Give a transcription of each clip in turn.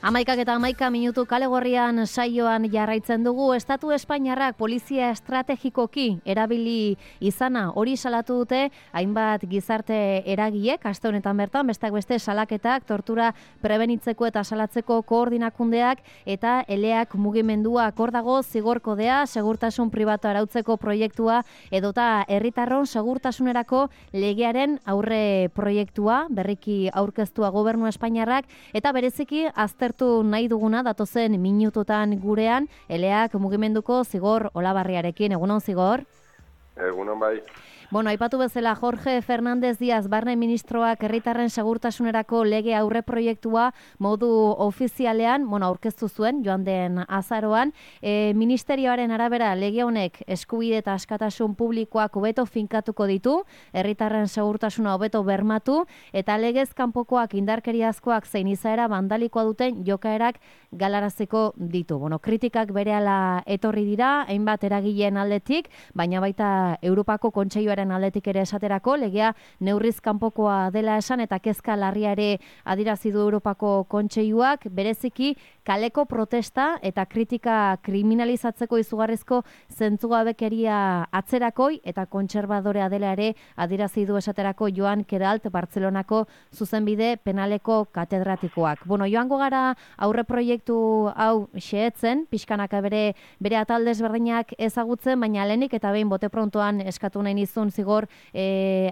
11:11 kale gorrian saioan jarraitzen dugu. Estatu Espainiarrak polizia estrategikoki erabili izana hori salatu dute hainbat gizarte eragileek aste honetan bertan, besteak beste salaketak, tortura prebenitzeko eta salatzeko koordinakundeak eta eleak mugimenduak. Hor dago zigor kodea, segurtasun pribatu arautzeko proiektua edota herritarron segurtasunerako legearen aurre proiektua berriki aurkeztua Gobernu Espainiarrak eta bereziki aztertu nahi duguna datozen minututan gurean eleak mugimenduko Zigor Olabarriarekin. Egunon, Zigor? Egunon, bai. Aipatu bezala Jorge Fernández Díaz Barne ministroak herritarren segurtasunerako lege aurre proiektua modu ofizialean, aurkeztu zuen joan den azaroan. Ministerioaren arabera lege honek eskubide eta askatasun publikoak hobeto finkatuko ditu, herritarren segurtasuna hobeto bermatu eta legez kanpokoak indarkeriazkoak zein izaera bandalikoa duten jokaerak galaraziko ditu. Kritikak berehala etorri dira, hainbat eragileen aldetik, baina baita Europako Kontseiluaren aldetik ere esaterako, legea neurriz kanpokoa dela esan eta kezka larria ere adierazi du Europako Kontseiluak, bereziki kaleko protesta eta kritika kriminalizatzeko izugarrizko zentzugabekeria atzerakoi eta kontserbadorea dela ere adierazi du esaterako Joan Queralt Bartzelonako zuzenbide penaleko katedratikoak. Joango gara aurre proiektu hau xehetzen, pixkanaka bere atal desberdinak ezagutzen, baina lehenik eta behin bote prontoan eskatu nahi nizun Zigor,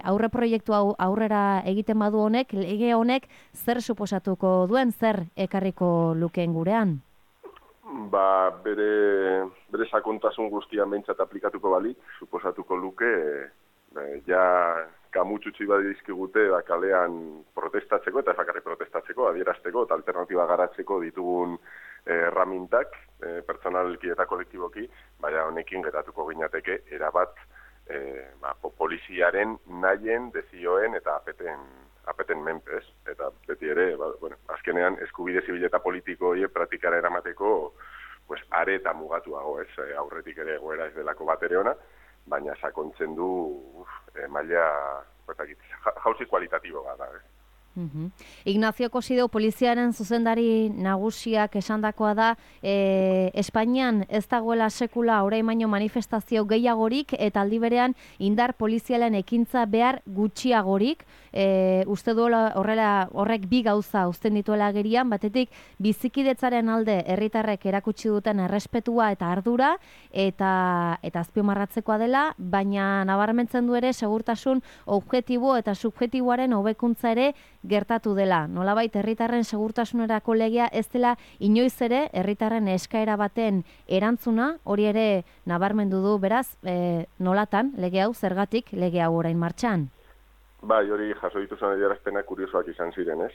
aurre proiektu hau aurrera egiten badu honek, lege honek zer suposatuko duen, zer ekarriko lukeen gurean? Bere sakontasun guztian behintzat aplikatuko balik, suposatuko luke, kamutxutxi bat dizkigute kalean protestatzeko eta efakarri protestatzeko, adierazteko eta alternatiba garatzeko ditugun erramintak, pertsonalki eta kolektiboki, baina honekin geratuko ginateke erabat poliziaren nahien, dezioen eta apeten menpez. Eta beti ere, azkenean eskubide zibil eta politiko horiek praktikara eramateko are eta mugatuago, aurretik ere egoera ez delako bat ere ona, baina sakontzen du maila jauzi kualitatibo bat. Ignacio Cosido poliziaren zuzendari nagusiak esandakoa da Espainian ez dagoela sekula orain baino manifestazio gehiagorik eta aldi berean indar polizialen ekintza behar gutxiagorik. Uste duela horrek bi gauza uzten dituela agerian, batetik bizikidetzaren alde herritarrek erakutsi duten errespetua eta ardura eta azpimarratzekoa dela, baina nabarmentzen du ere segurtasun objektibo eta subjektiboaren hobekuntza ere gertatu dela. Nolabait herritarren segurtasunerako legea ez dela inoiz ere herritarren eskaera baten erantzuna, hori ere nabarmendu du, beraz, nolatan lege hau, zergatik lege hau orain martxan? Bai, hori jaso dituzan adierazpenak kuriosoak izan ziren, ez?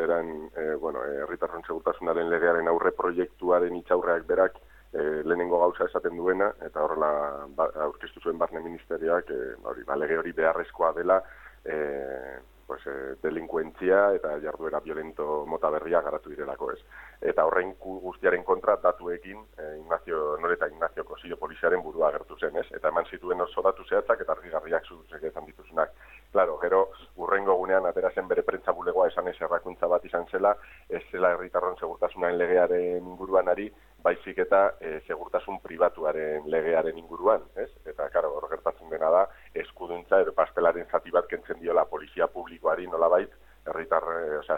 Herritarren segurtasunaren legearen aurre proiektuaren itxaurreak berak lehenengo gauza esaten duena, eta horrela aurkeztu zuen Barne Ministerioak, lege hori beharrezkoa dela, delinkuentzia eta jarduera violento mota berria garatu direlako, ez. Eta horrein guztiaren kontra datuekin Ignacio Cosido poliziaren burua agertu zen, ez. Eta eman zituen oso datu zehatzak eta argigarriak zuzegezan dituzunak. Claro, gero urrengo gunean atera zen bere prentza bulegoa esan errakuntza bat izan zela, ez zela herritarron segurtasunaren legearen inguruan ari, baizik eta segurtasun pribatuaren legearen inguruan, ez? Eta, claro, hor gertatzen dena da, eskuduntza edo pastelaren zati bat kentzen diola polizia publikoari nolabait,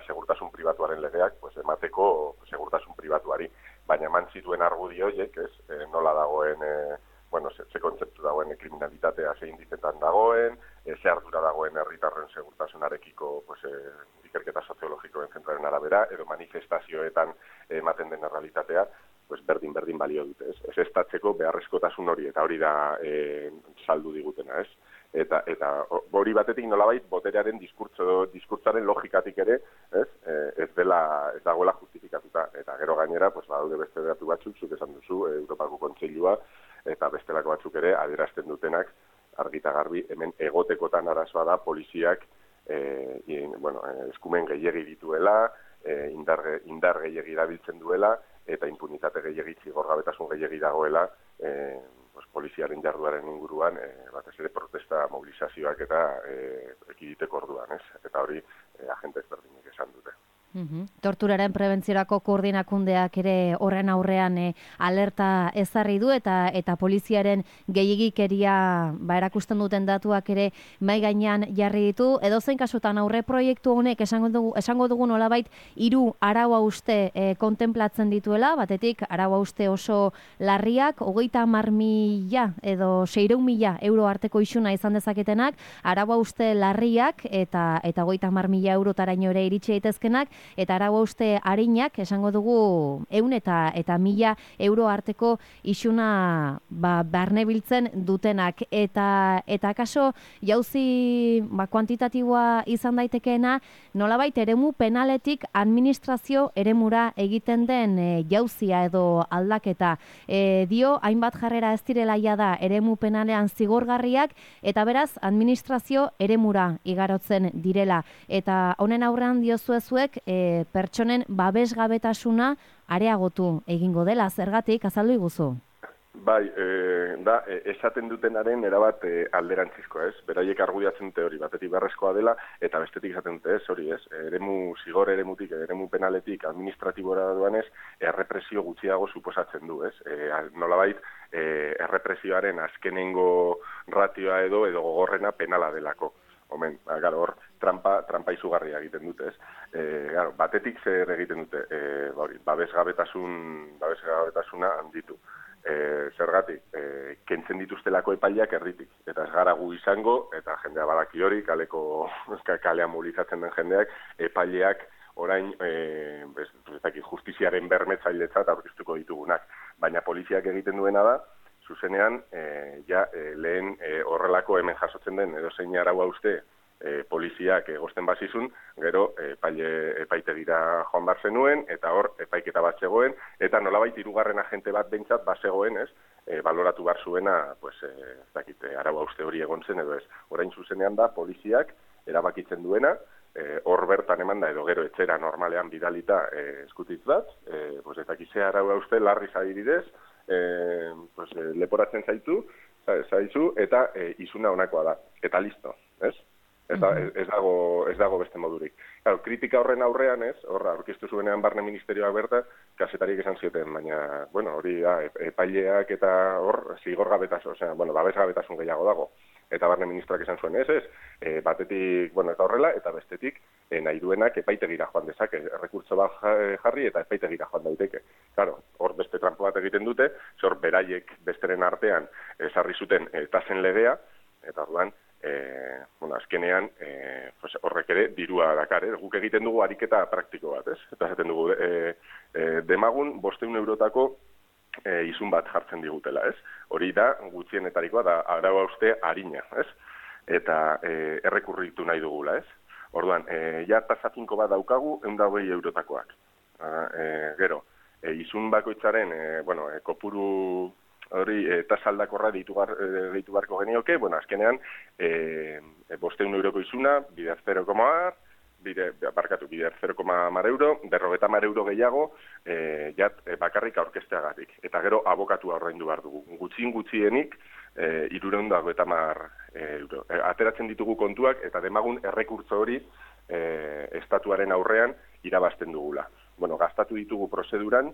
segurtasun pribatuaren legeak, emateko segurtasun pribatuari. Baina eman zituen argudio horiek, ez, nola dagoen, ze kontzeptu dagoen kriminalitatea zein indizetan dagoen, ze ardura dagoen herritarren segurtasunarekiko ikerketa soziologikoen zentraren arabera, edo manifestazioetan ematen den errealitatea, berdin balio dute, ez estatzeko beharrezkotasun hori, eta hori da saldu digutena, ez? Eta hori batetik nolabait boterearen diskurtzaren logikatik ere, ez dagoela justifikatuta, eta gero gainera, badaude beste datu batzuk, zuk esan duzu, Europako Kontseilua, eta bestelako batzuk ere adierazten dutenak argita garbi, hemen egotekotan arazoa da poliziak eskumen gehiegi dituela, indar gehiegi erabiltzen duela, eta impunitate gehiegi, zigorgabetasun gehiegi dagoela poliziaren jarduaren inguruan, batez ere protesta mobilizazioak eta ekiditeko orduan, ez? Eta hori agente ezberdinek esan dute. Torturaren prebentziorako koordinakundeak ere horren aurrean alerta ezarri du eta poliziaren gehiegikeria erakusten duten datuak ere mai gainean jarri ditu. Edozein kasutan aurre proiektu honek esango dugu nolabait 3 arau-hauste kontenplatzen dituela, batetik arau-hauste oso larriak, 30.000 edo 600.000 euro arteko isuna izan dezaketenak, arau-hauste larriak eta 30.000 eurotaraino ere iritsi daitezkenak, eta arau-hauste arinak, esango dugu 100 eta 1.000 euro arteko isuna barnebiltzen dutenak. Eta kaso jauzi kuantitatiboa izan daitekeena, nolabait eremu penaletik administrazio eremura egiten den jauzia edo aldaketa. Dio, hainbat jarrera ez direla da eremu penalean zigorgarriak, eta beraz administrazio eremura igarotzen direla. Eta honen aurrean diozuezuek pertsonen babesgabetasuna areagotu egingo dela, zergatik azaldu iguzu? Bai, esaten dutenaren erabat alderantzizkoa, ez? Beraiek argudiatzen dute hori, batetik beharrezkoa dela, eta bestetik esaten dute ez, hori ez, zigor eremutik, eremu penaletik, administratibora duanez, errepresio gutxiago suposatzen du, ez? Nolabait, errepresioaren azkenengo ratioa edo gogorrena penala delako. Omen, hor, trampa izugarria egiten dute, ez? Batetik zer egiten dute, babesgabetasuna handitu. Zergatik, kentzen dituztelako epaileak erditik, eta ez gara gu izango, eta jendea badaki hori, kalean mobilizatzen den jendeak, epaileak orain justiziaren bermetzailetzat aurkeztuko ditugunak. Baina poliziak egiten duena da, zuzenean, lehen horrelako hemen jasotzen den edozein arau-hauste poliziak egozten bazizun, gero epaitegira joan bar zenuen, eta hor epaiketa bat zegoen, eta nolabait 3. agente bat behintzat bazegoen, ez, baloratu bar zuena, arau-hauste hori egon zen edo ez. Orain zuzenean da, poliziak erabakitzen duena, hor bertan eman da, edo gero etxera normalean bidalita eskutitz bat, ze arau-hauste larri zaibidez, leporatzen zaizu, eta izuna honakoa da, eta listo, ez? Ez dago beste modurik. Kritika horren aurrean, ez, horra, aurkeztu zuenean Barne Ministerioak berta, kazetariek esan zioten, baina, hori da, epaileak eta hor, babesgabetasun gehiago dago. Eta Barne Ministroak esan zuen, ez, batetik, eta horrela, eta bestetik, nahi duenak epaitegira joan dezake, errekurtso bat jarri eta epaitegira joan daiteke. Hor beste trampo bat egiten dute, hor beraiek besteren artean ezarri zuten tasen legea, eta orduan, azkenean horrek ere dirua dakar, guk egiten dugu ariketa praktiko bat, ez? Eta esaten dugu, demagun 500 eurotako izun bat jartzen digutela, ez? Hori da, gutxienetarikoa da arau-hauste arina, ez? Eta errekurritu nahi dugula, ez? Orduan, tasa finko bat daukagu 120 eurotakoak. Gero, izun bakoitzaren, kopuru hori tasa aldakorra deitu barko genioke, azkenean 500 euroko izuna, bider 0,10, bider 0,10 euro, 50 euro gehiago, bakarrik aurkezteagatik. Eta gero abokatua ordaindu behar dugu. Gutxienik, 350 euro. Ateratzen ditugu kontuak, eta demagun errekurtso hori estatuaren aurrean irabazten dugula. Gastatu ditugu prozeduran,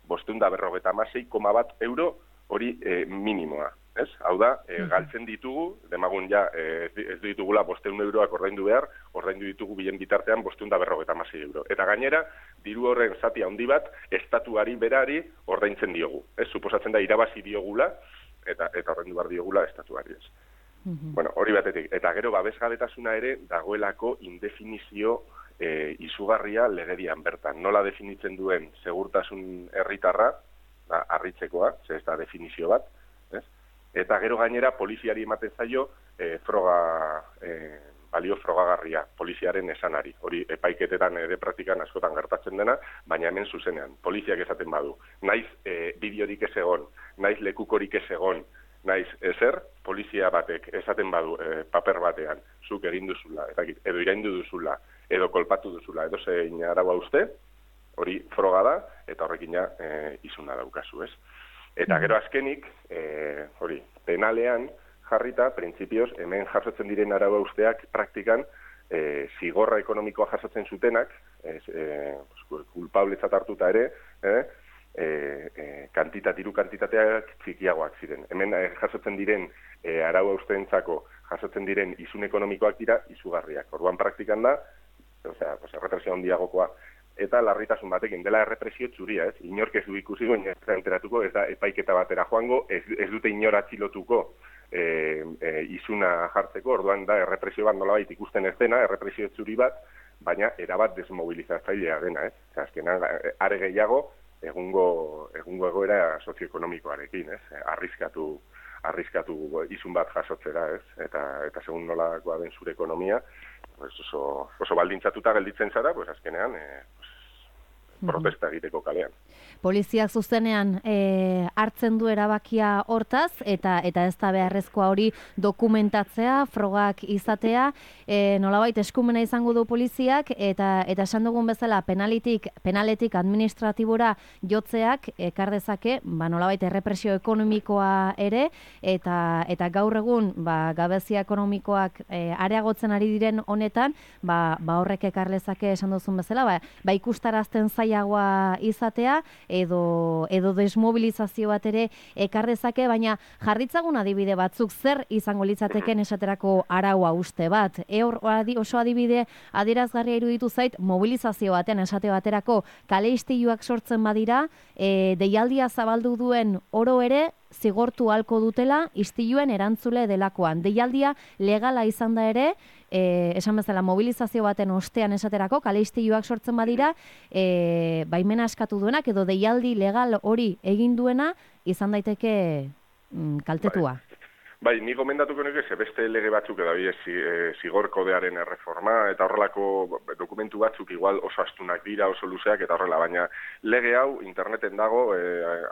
556,1 euro hori minimoa. Ez? Hau da, galtzen ditugu, demagun ez ditugula 500 euroak ordaindu behar, ordaindu ditugu bilen bitartean 556 euro. Eta gainera, diru horren zati handi bat, estatuari berari ordaintzen diogu. Ez? Suposatzen da, irabazi diogula, eta ordaindu behar diogula estatuari. Ez? Hori batetik. Eta gero, babesgabetasuna ere, dagoelako indefinizio izugarria legedian bertan. Nola definitzen duen segurtasun herritarra, harritzekoa, ez da definizio bat, ez? Eta gero gainera poliziari ematen zaio balio frogagarria, poliziaren esanari. Hori epaiketetan ere praktikan askotan gertatzen dena, baina hemen zuzenean. Poliziak esaten badu, naiz bideorik ez egon, naiz lekukorik ez egon, naiz ezer, polizia batek esaten badu paper batean, zuk egin duzula, edo iraindu duzula, edo kolpatu duzula, edo zein arau-hauste, hori froga da, eta horrekina izuna daukazu, ez? Eta gero azkenik, hori, penalean jarrita, printzipioz, hemen jasotzen diren arau-hausteak praktikan zigorra ekonomikoa jasotzen zutenak, kulpabletzat hartuta ere, diru kantitateak txikiagoak ziren. Hemen jasotzen diren arau hausteentzako jasotzen diren isun ekonomikoak dira izugarriak. Orduan praktikan da, errepresio handiagokoa. Eta larritasun batekin, dela errepresio txuria, ez? Inork ez du ikusi goin ez da enteratuko, ez da epaiketa batera joango, ez dute inor atxilotuko isuna jartzeko, orduan da errepresio bat nolabait ikusten ez dena, errepresio txuri bat, baina erabat desmobilizatzailea dena, ez? Azkenan, are gehiago, egungo egoera sozioekonomikoarekin, ez? Arriskatu isun bat jasotzera, ez? Eta segun nolakoa den zure ekonomia, oso baldintzatuta gelditzen zara, azkenean protesta egiteko kalean. Poliziak zuzenean hartzen du erabakia hortaz, eta ez da beharrezkoa hori dokumentatzea, frogak izatea, nolabait eskumena izango du poliziak, eta esan dugun bezala penaletik administratibora jotzeak ekar dezake, nolabait errepresio ekonomikoa ere, eta gaur egun gabezia ekonomikoak areagotzen ari diren honetan, horrek ekar dezake esan duzun bezala, ikustarazten zailagoa izatea, edo desmobilizazio bat ere ekar dezake, baina jarritzagun adibide batzuk zer izango litzateken esaterako araua uste bat. Oso adibide adierazgarria iruditu zait mobilizazio baten esate baterako kale istiluak sortzen badira, deialdia zabaldu duen oro ere zigortu halko dutela istiluen erantzule delakoan. Deialdia legala izan da ere, esan bezala mobilizazio baten ostean esaterako, kale istiluak sortzen badira, baimena eskatu duenak edo deialdi legal hori egin duena izan daiteke kaltetua. Bai, ni gomendatuko nuke beste lege batzuk edo zigor kodearen erreforma eta horrelako dokumentu batzuk igual oso astunak dira, oso luzeak eta horrela, baina lege hau interneten dago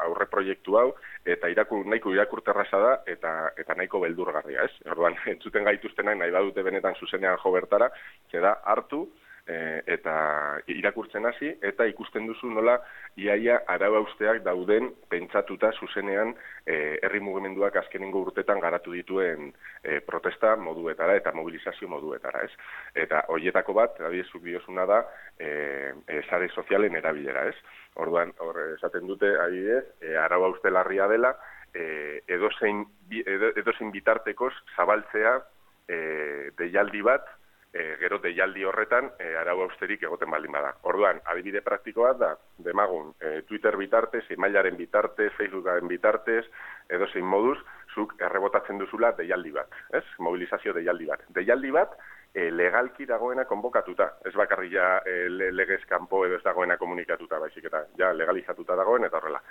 aurre proiektu hau eta nahiko irakurterraza da eta nahiko beldurgarria, ez? Orduan, entzuten gaituztenak nahi badute benetan zuzenean jo bertara, da hartu eta irakurtzen hasi eta ikusten duzu nola iaia arau hausteak dauden pentsatuta zuzenean herri mugimenduak azkenengo urtetan garatu dituen protesta moduetara eta mobilizazio moduetara, ez? Eta horietako bat, adibidezuk diozuna da, sare sozialen erabilera, ez? Orduan, esaten dute, adibidez, arau hauste larria dela, edozein bitartekoz zabaltzea deialdi bat, gero deialdi horretan arau hausterik egoten baldin bada. Orduan, adibide praktikoa da, demagun, Twitter bitartez, emailaren bitartez, Facebookaren bitartez, edozein moduz, zuk errebotatzen duzula deialdi bat, ez? Mobilizazio deialdi bat. Deialdi bat, legalki dagoena konbokatuta. Ez bakarri ja legez kanpo edo ez dagoena komunikatuta, baizik eta ja legalizatuta dagoen, eta horrela.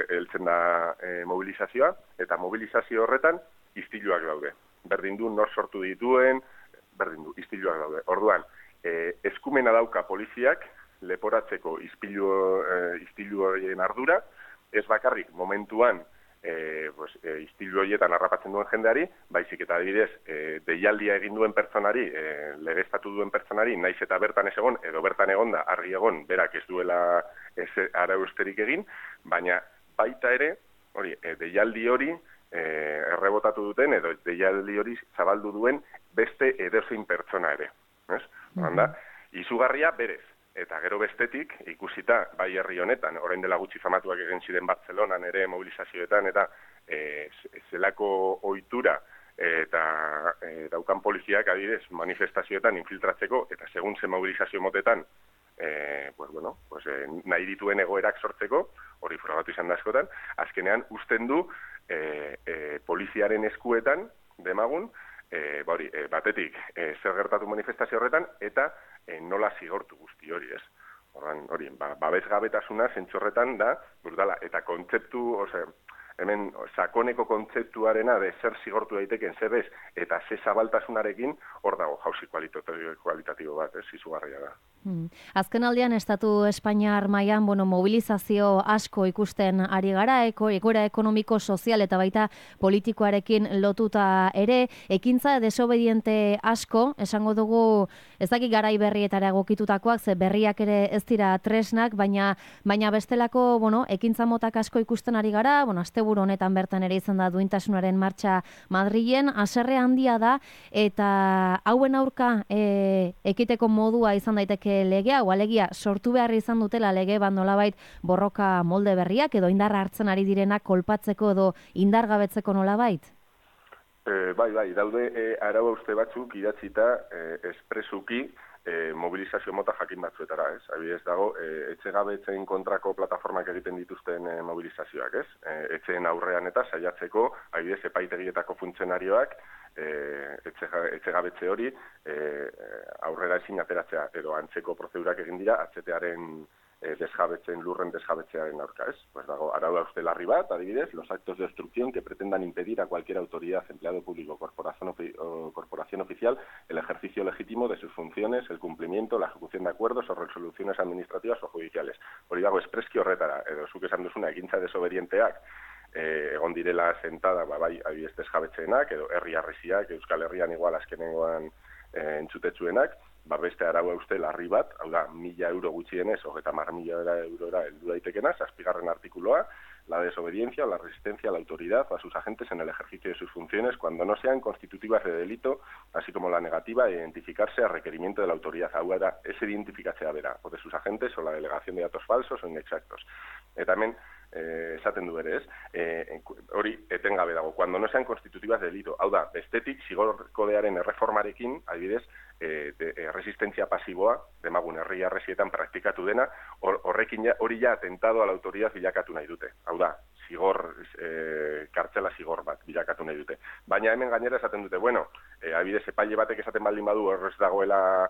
Heltzen da mobilizazioa, eta mobilizazio horretan istiluak daude. Berdin du nor sortu dituen, istiluak daude. Orduan, eskumena dauka poliziak leporatzeko istilu horien ardura, ez bakarrik momentuan istilu horietan harrapatzen duen jendeari, baizik eta adibidez deialdia egin duen pertsonari, legeztatu duen pertsonari, naiz eta bertan ez egon, edo bertan egonda, argi egon, berak ez duela arausterik egin, baina baita ere, deialdi hori errebotatu duten, edo deialdi hori zabaldu duen beste edozein pertsona ere. Izugarria berez. Eta gero bestetik, ikusita, bai herri honetan, orain dela gutxi famatuak egin ziren Bartzelonan ere mobilizazioetan, eta zelako ohitura eta daukan poliziak adibidez manifestazioetan infiltratzeko, eta segun ze mobilizazio motetan, nahi dituen egoerak sortzeko, hori frogatu izan da askotan, azkenean usten du poliziaren eskuetan, demagun, batetik zer gertatu manifestazio horretan, eta nola zigortu guzti hori, ez? Hori, babesgabetasuna zentzorretan da, brutala, eta kontzeptu, hemen sakoneko kontzeptuarena de zer zigortu daiteken zer ez, eta ze zabaltasunarekin hor dago jauzi kualitatibo bat, ez, izugarria da. Azken aldean, Estatu Espainiar mailan mobilizazio asko ikusten ari gara, egoera ekonomiko, sozial eta baita politikoarekin lotuta ere, ekintza desobediente asko, esango dugu, ez dakit garai berrietara egokitutakoak, ze berriak ere ez dira tresnak, baina bestelako, ekintza motak asko ikusten ari gara, asteburu honetan bertan ere izan da duintasunaren martxa Madrilen, haserre handia da, eta hauen aurka ekiteko modua izan daiteke legea, o alegia sortu behar izan dutela lege bat nolabait borroka molde berriak edo indarra hartzen ari direnak kolpatzeko edo indargabetzeko nolabait? Bai, daude arau hauste batzuk idatzita espresuki mobilizazio mota jakin batzuetara, ez? Adibidez dago, etxegabetzen kontrako plataformak egiten dituzten mobilizazioak, ez? Etxeen aurrean eta saiatzeko, adibidez, epaitegietako funtzionarioak etxegabetze hori aurrera ezin ateratzea, edo antzeko prozedurak egin dira, atzetearen lurren desjabetzearen aurka, ez? Pues dago, arau hauste larri bat, adibidez, los actos de obstrucción que pretendan impedir a cualquier autoridad, empleado público o corporación oficial el ejercicio legítimo de sus funciones, el cumplimiento, la ejecución de acuerdos o resoluciones administrativas o judiciales. Hori dago, espreski horretara, edo zuk esan duzuna egintza desobedienteak, egon direla sentada, bai, adibidez desjabetzeenak, edo herri harresiak, Euskal Herrian igual azkenengoan entzutetsuenak, beste arau hauste larri bat, hau da, 1.000 euro gutxienez, 30.000 eurora heldu daitekena, 7. artikuloa, la desobediencia o la resistencia a la autoridad o a sus agentes en el ejercicio de sus funciones cuando no sean constitutivas de delito, así como la negativa de identificarse a requerimiento de la autoridad. Hau da, ez identifikatzea bera, o de sus agentes o la delegación de datos falsos o inexactos. También esaten du ere, ez? Hori etengabe dago, cuando no sean constitutivas de delito. Hau da, bestetik, zigor kodearen erreformarekin, adibidez, resistentzia pasiboa, demagun herri harresietan praktikatu dena, horrekin hori ja atentado a la autoridad bilakatu nahi dute. Hau da, kartzela zigor bat bilakatu nahi dute. Baina hemen gainera esaten dute, bueno, adibidez, epaile batek esaten baldin badu horrez dagoela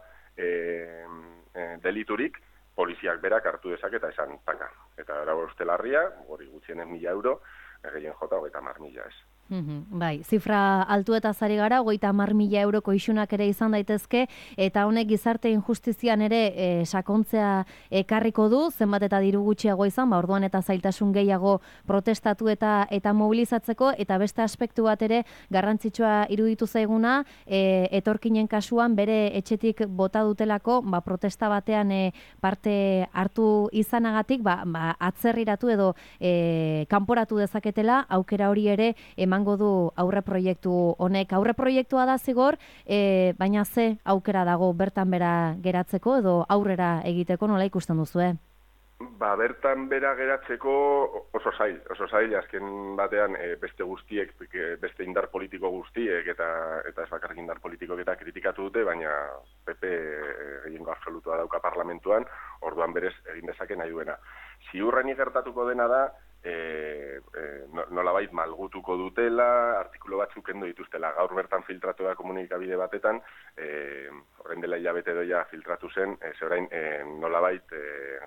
deliturik, poliziak berak hartu dezake eta esan taka. Eta arau hauste larria, hori gutxienez 1.000 euro, gehien jota 30.000, ez. Bai, zifra altuetaz ari gara, 30.000 euroko isunak ere izan daitezke, eta honek gizarte injustizian ere sakontzea ekarriko du, zenbat eta diru gutxiago izan, orduan eta zailtasun gehiago protestatu eta mobilizatzeko, eta beste aspektu bat ere garrantzitsua iruditu zaiguna, etorkinen kasuan bere etxetik bota dutelako, protesta batean parte hartu izanagatik, atzerriratu edo kanporatu dezaketela, aukera hori ere emango du aurreproiektu honek. Aurreproiektua da zigor, baina ze aukera dago bertan bera geratzeko edo aurrera egiteko, nola ikusten duzue? Bertan bera geratzeko oso zail, azken batean beste guztiek, beste indar politiko guztiek eta ez bakarrik indar politikoek eta kritikatu dute, baina PP gehiengo absolutua dauka parlamentuan, orduan berez egin dezake nahi duena. Ziurrenik gertatuko dena da, nolabait malgutuko dutela, artikulu batzuk kendu dituztela. Gaur bertan filtratu da komunikabide batetan, horren dela hilabete doia filtratu zen, orain nolabait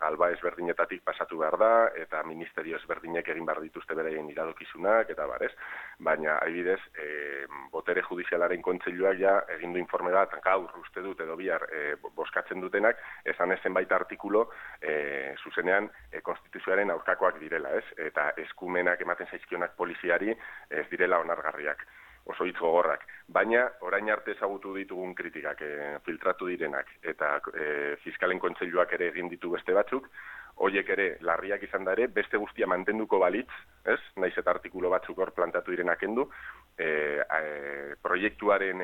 galba ezberdinetatik pasatu behar da, eta ministerio ezberdinek egin behar dituzte beraien iradokizunak, eta barez. Baina, adibidez, botere judizialaren kontseiluak ja egin du informe bat, gaur uste dut edo bihar boskatzen dutenak, esan ezen baita artikulo zuzenean konstituzioaren aurkakoak direla, ez? Eta eskumenak ematen zaizkionak poliziari ez direla onargarriak, oso hitz gogorrak. Baina, orain arte ezagutu ditugun kritikak, filtratu direnak, eta fiskalen kontseiluak ere egin ditu beste batzuk, horiek ere larriak izan da ere, beste guztia mantenduko balitz, ez? Naiz eta artikulo batzuk hor plantatu direnak kendu, proiektuaren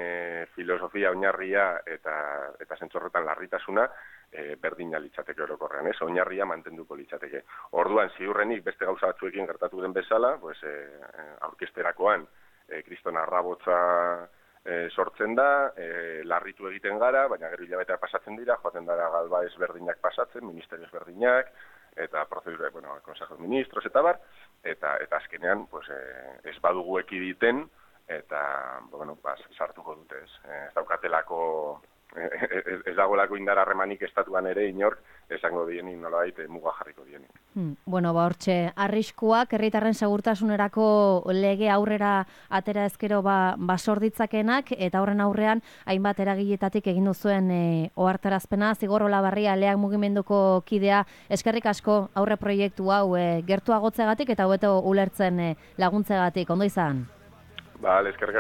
filosofia oinarria eta zentzorretan larritasuna berdina litzateke orokorrean, ez? Oinarria mantenduko litzateke. Orduan, ziurrenik beste gauza batzuekin gertatu den bezala, aurkesterakoan kriston arrabotza sortzen da, larritu egiten gara, baina gero hilabetea pasatzen dira, joaten dara galba ezberdinak pasatzen, ministerio ezberdinak, eta prozedura, Consejo de Ministros eta bar, eta azkenean ez badugu ekiditen, eta sartuko dute, ez daukatelako, ez dagoelako indar harremanik estatuan ere inork esango dienik nolabait muga jarriko dienik. Hortxe, arriskuak herritarren segurtasunerako lege aurrera atera ezkero basor ditzakenak, eta horren aurrean hainbat eragiletatik egin duzuen ohartarazpena. Zigor Olabarria Leak mugimenduko kidea, eskerrik asko aurre proiektu hau gertuagotzegatik eta hobeto ulertzen laguntzegatik. Ondo izan? Eskerrik asko.